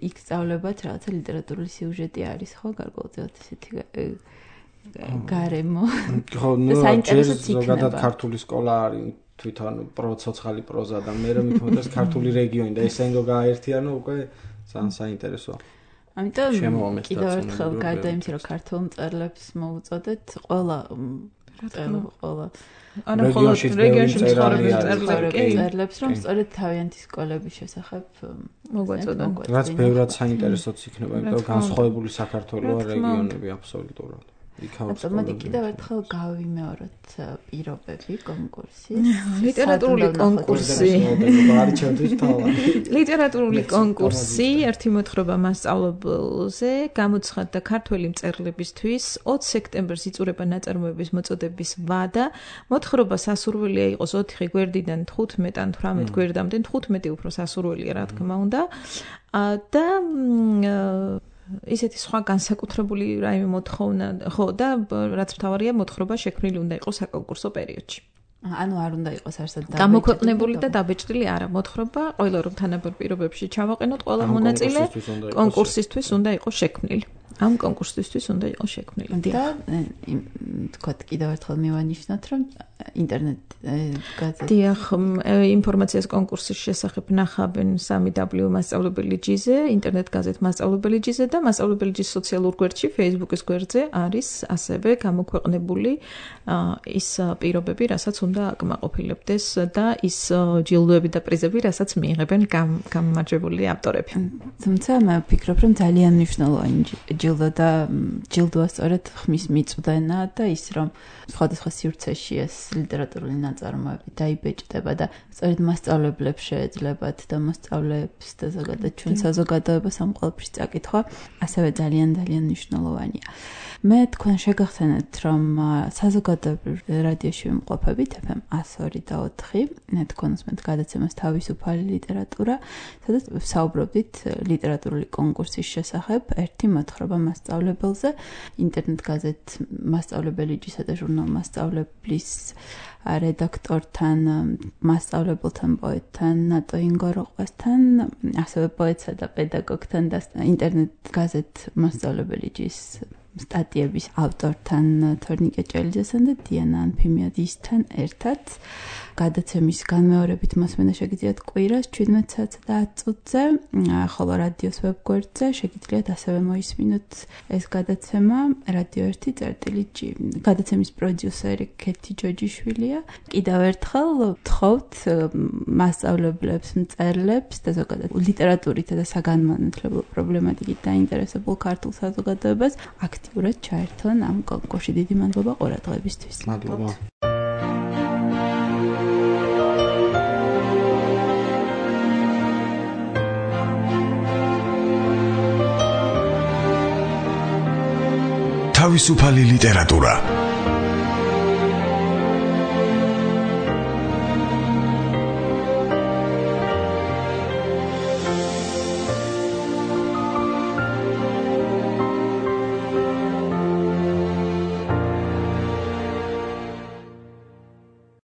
B: იქ სწავლებათ რაღაცა ლიტერატურული სიუჟეტი არის, ხო, გარკვეულწილად ისეთი გარემო.
A: ხო, ნუ ზოგადად ქართული სკოლა არის თვითონ პროცოცხალი პროზა და მე რომ მithmetes ქართული რეგიონი და ეს ენგო გააერთიანო უკვე ძალიან საინტერესოა.
B: ამიტომ კიდევ ერთხელ გარდა იმისა, რომ ქართულ მწერლებს მოუწოდეთ, ყველა
C: ანუ ხოლმე რეგიონში
B: მწერლებს, რომ სწორედ თავიანთი სკოლების შესახებ მოგვაწოდონ.
A: რაც ბევრად საინტერესოც იქნება, იმიტომ რომ განსხვავებული საქართველოა რეგიონები აბსოლუტურად.
C: ავტომატი
B: კიდევ ერთხელ გავიმეოროთ პირობები კონკურსის.
C: ლიტერატურული კონკურსი. ლიტერატურული კონკურსი, ერთი მოთხრობა მასწავლებელზე, გამოცხადდა ქართველი მწერლებისთვის 20 სექტემბერს იწურება ნაწარმოების მოწოდების ვადა. მოთხრობა სასურველია იყოს 4 გვერდიდან 15 ან 18 გვერდამდე, 15 უფრო სასურველია, რა თქმა უნდა. და ისეთი სხვა განსაკუთრებული რაიმე მოთხოვნა, ხო და რაც მთავარია მოთხრობა შექმნილი უნდა იყოს საკონკურსო პერიოდში.
B: ანუ არ უნდა იყოს არსად
C: გამოქვეყნებული და დაბეჭდილი არა მოთხრობა, ყველა რომ თანაბარ პირობებში ჩავაყენოთ, ყველა მონაწილე კონკურსისთვის უნდა იყოს შექმნილი. ამ კონკურსისთვის უნდა იყოს შექმნილი.
B: და თქვათ კიდევ ერთხელ მივანიშნოთ, რომ ინტერნეტ გაზეთი.
C: დიახ, ინფორმაციას კონკურსის შესახებ ნახავენ 3W მასწავლებელი ჯიზე, ინტერნეტ გაზეთ მასწავლებელი ჯიზე და მასწავლებელი ჯის სოციალურ გვერდში, Facebook-ის გვერდზე არის ასევე გამოქვეყნებული ის პირობები, რასაც უნდა აკმაყოფილებდეს და ის ჯილდოები და პრიზები, რასაც მიიღებენ გამარჯვებული ავტორები.
B: თუმცა მე ვფიქრობ, რომ ძალიან მნიშვნელოვანი ჯილდოა სწორედ ხმის მიწვდენა და ის რომ სხვადასხვა სივრცეში ეს ლიტერატურული ნაწარმოები დაიბეჭდება და სწორედ მასწავლებლებს შეეძლებათ და მოსწავლეებს და ზოგადად ჩვენ საზოგადოებას ამ ყველაფრის წაკითხვა ასევე ძალიან მნიშვნელოვანია. მე თქვენ შეგახსენეთ, რომ საზოგადოებრივ რადიოში ვიმყოფებით FM 102 და 4, თქვენ უსმენთ გადაცემას თავისუფალი ლიტერატურა, სადაც ვსაუბრობდით ლიტერატურული კონკურსის შესახებ, ერთი მოთხრობა მასწავლებელზე, ინტერნეტ გაზეთ მასწავლებელი ჯისა და ჟურნალ მასწავლებლის რედაქტორთან, მასწავლებელთან, პოეტთან, ნატო ინგოროყვასთან, ასევე პოეტსა და პედაგოგთან და ინტერნეტ გაზეთ მასწავლებელი ჯის სტატიების ავტორთან თორნიკე ჭელიძესთან და დიანა ანფიმიადისთან ერთად გადაცემის განმეორებით მოსმენა შეგიძლიათ კვირას 17 საათსა და 10 წუთზე, ხოლო რადიოს ვებგვერდზე შეგიძლიათ ასევე მოისმინოთ ეს გადაცემა რადიო 1.G. გადაცემის პროდიუსერი ქეთი ჯოჯიშვილია. კიდევ ერთხელ ვთხოვთ მასწავლებლებს, მწერლებს და ზოგადად ლიტერატურით და საგანმანათლებლო პრობლემატიკით დაინტერესებულ ქართულ საზოგადოებას აქტიურად ჩაერთონ ამ კონკურსში. დიდი მადლობა ყურადღებისთვის.
A: მადლობა.
D: თავისუფალი ლიტერატურა